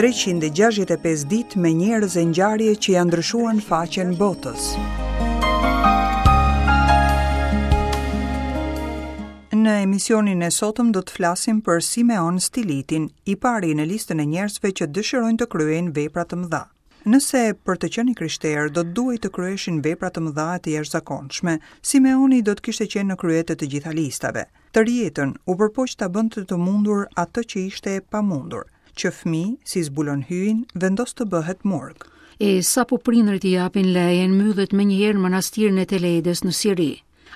365 ditë me njerëz e ngjarje që ia ndryshuan faqen botës. Në emisionin e sotëm do të flasim për Simeon Stilitin, i pari në listën e njerëzve që dëshirojnë të kryejnë vepra të mëdha. Nëse për të qenë i krishterë do të duhej të kryheshin vepra të mëdha e të jashtëzakonshme, Simeoni do të kishte qenë në krye të të gjitha listave. Tërë jetën u përpoq ta bënte të mundur atë që ishte e pamundur. Që fëmijë, si zbulon Hyjin, vendos të bëhet murg. E sapo prindërit i japin lejen, mbyllet menjëherë në manastirin e Teledës në Siri.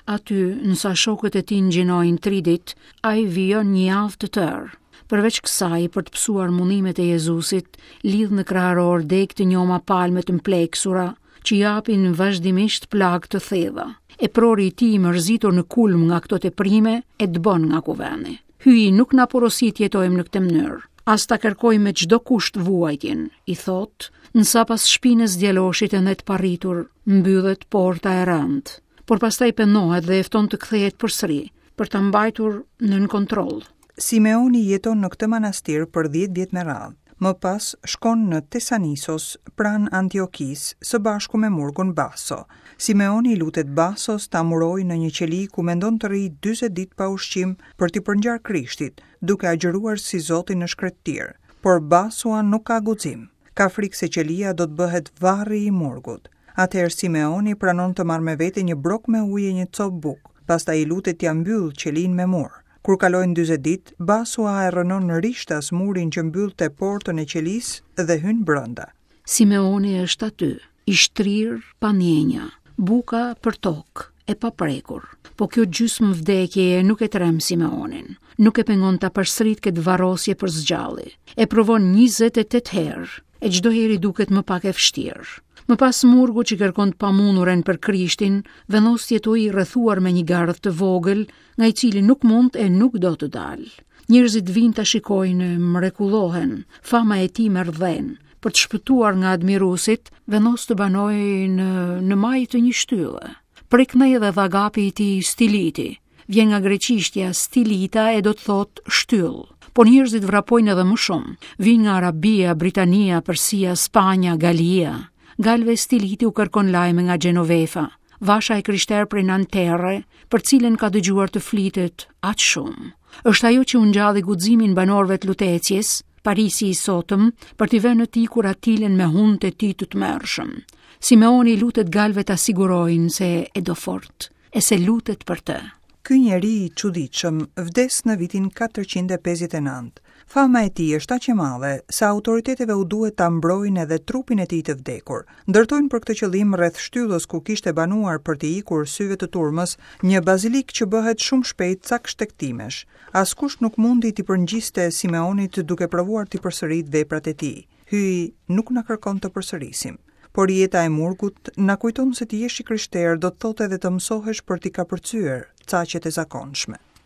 Aty, ndërsa shokët e tij ngjinojnë tri ditë, ai vijon një javë të tërë. Përveç kësaj, për të pësuar mundimet e Jezusit, lidh në kraharor degë të njoma palme të mpleksura, që japin vazhdimisht plagë të thella. Eprori i tij i mërzitur në kulm nga këto teprime, e dëbon nga kuvendi. Hyji nuk na porosit të jetojmë në këtë mënyrë, as ta kërkojmë me çdo kusht vuajtjen, i thotë, ndërsa pas shpinës djaloshit ende të parritur, mbyllet porta e rëndë. Por pastaj pendohet dhe e fton të kthehet përsëri, për ta mbajtur nën kontroll. Simeoni jeton në këtë manastir për 10 vjet me radhë. Më pas shkon në Tesanisos, pranë Antiokisë, së bashku me murgun Baso. Simeoni i lutet Basos ta murojë në një qeli ku mendon të rrijë 40 ditë pa ushqim për t'i përngjarë Krishtit, duke agjëruar si Zoti në shkretëtirë. Por Basua nuk ka guxim. Ka frikë se qelia do të bëhet varri i murgut. Atëherë Simeoni pranon të marrë me vete një brok me ujë e një copë bukë, pastaj i lutet t'ia mbyllë qelinë me mur. Kur kalojnë 40 ditë, Basua e rrënon rishtas murin që mbyllte portën e qelisë dhe hyn brenda. Simeoni është aty, i shtrirë pa ndjenja, buka për tokë, e paprekur. Po kjo gjysmë vdekjeje nuk e tremb Simeonin, nuk e pengon ta përsëritë këtë varrosje për së gjalli. E provon 28 herë, e çdo herë i duket më pak e vështirë. Më pas murgu që kërkon të pamunduren për Krishtin, vendos të jetojë i rrethuar me një gardh të vogël, nga i cili nuk mund e nuk do të dalë. Njerëzit vijnë ta shikojnë e mrekullohen, fama e tij merr dhenë. Për të shpëtuar nga admiruesit, vendos të banojë në, në majë të një shtylle. Prej këndej edhe llakapi i tij Stiliti. Vjen nga greqishtja stilita e do të thotë shtyllë. Por njerëzit vrapojnë edhe më shumë. Vijnë nga Arabia, Britania, Persia, Spanja, Galia. Galëve Stiliti u kërkon lajme nga Genovefa. Vasha e krishterë prej Nanterre, për të cilën ka dëgjuar të flitet aq shumë. Është ajo që u ngjalli guximin banorëve të Lutecies, Parisi i sotëm, për t'i vënë të ikur Atilën me hunët e tij të tmerrshëm. Simeoni i lutet galëve ta sigurojnë se e do fort, e se lutet për të. Ky njeri i çuditshëm vdes në vitin 459. Fama e tij është aq e madhe sa autoriteteve u duhet ta mbrojnë edhe trupin e tij të vdekur. Ndërtojnë për këtë qëllim rreth shtyllës ku kishte banuar për t'i ikur syve të turmës, një bazilikë që bëhet shumë shpejt cak shtegtimesh. Askush nuk mundi t'i përngjiste Simeonit duke provuar t'i përsëritë veprat e tij. Hyji nuk na kërkon të përsërisim. Por jeta e murgut na kujton se të jesh i krishterë do të thotë edhe të mësohesh për t'i kapërcyer caqet e zakonshme.